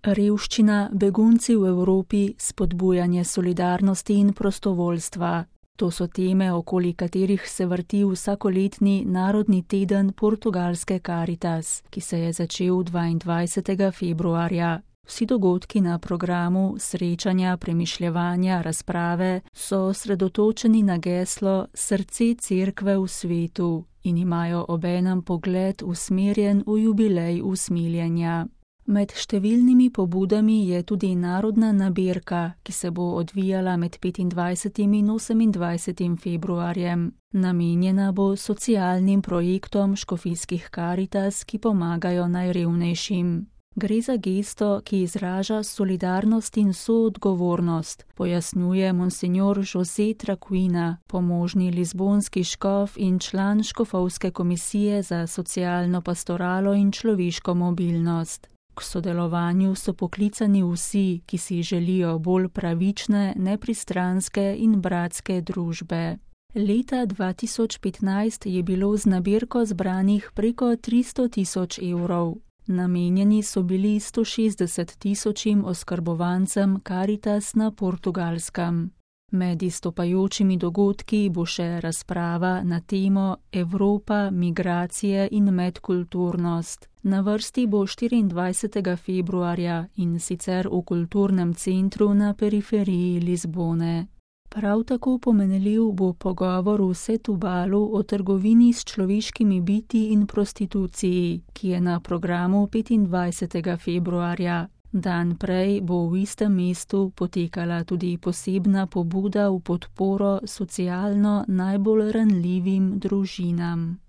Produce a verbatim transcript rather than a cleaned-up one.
Revščina, begunci v Evropi, spodbujanje solidarnosti in prostovoljstva. To so teme, okoli katerih se vrti vsakoletni Narodni teden portugalske Caritas, ki se je začel dvaindvajsetega februarja. Vsi dogodki na programu, srečanja, premišljevanja, razprave so osredotočeni na geslo Srce Cerkve v svetu in imajo obenem pogled usmerjen v jubilej usmiljenja. Med številnimi pobudami je tudi narodna nabirka, ki se bo odvijala med petindvajsetim in osemindvajsetim februarjem. Namenjena bo socialnim projektom škofijskih Caritas, ki pomagajo najrevnejšim. Gre za gesto, ki izraža solidarnost in soodgovornost, pojasnjuje monsinjor José Traquina, pomožni lizbonski škof in član škofovske komisije za socialno pastoralo in človeško mobilnost. K sodelovanju so poklicani vsi, ki si želijo bolj pravične, nepristranske in bratske družbe. Leta dva tisoč petnajst je bilo z nabirko zbranih preko tristo tisoč evrov. Namenjeni so bili sto šestdeset tisočim oskrbovancem Caritas na Portugalskem. Med izstopajočimi dogodki bo še razprava na temo Evropa, migracije in medkulturnost. Na vrsti bo štiriindvajsetega februarja in sicer v kulturnem centru na periferiji Lizbone. Prav tako pomenljiv bo pogovor v Setubalu o trgovini s človeškimi biti in prostituciji, ki je na programu petindvajsetega februarja. Dan prej bo v istem mestu potekala tudi posebna pobuda v podporo socialno najbolj ranljivim družinam.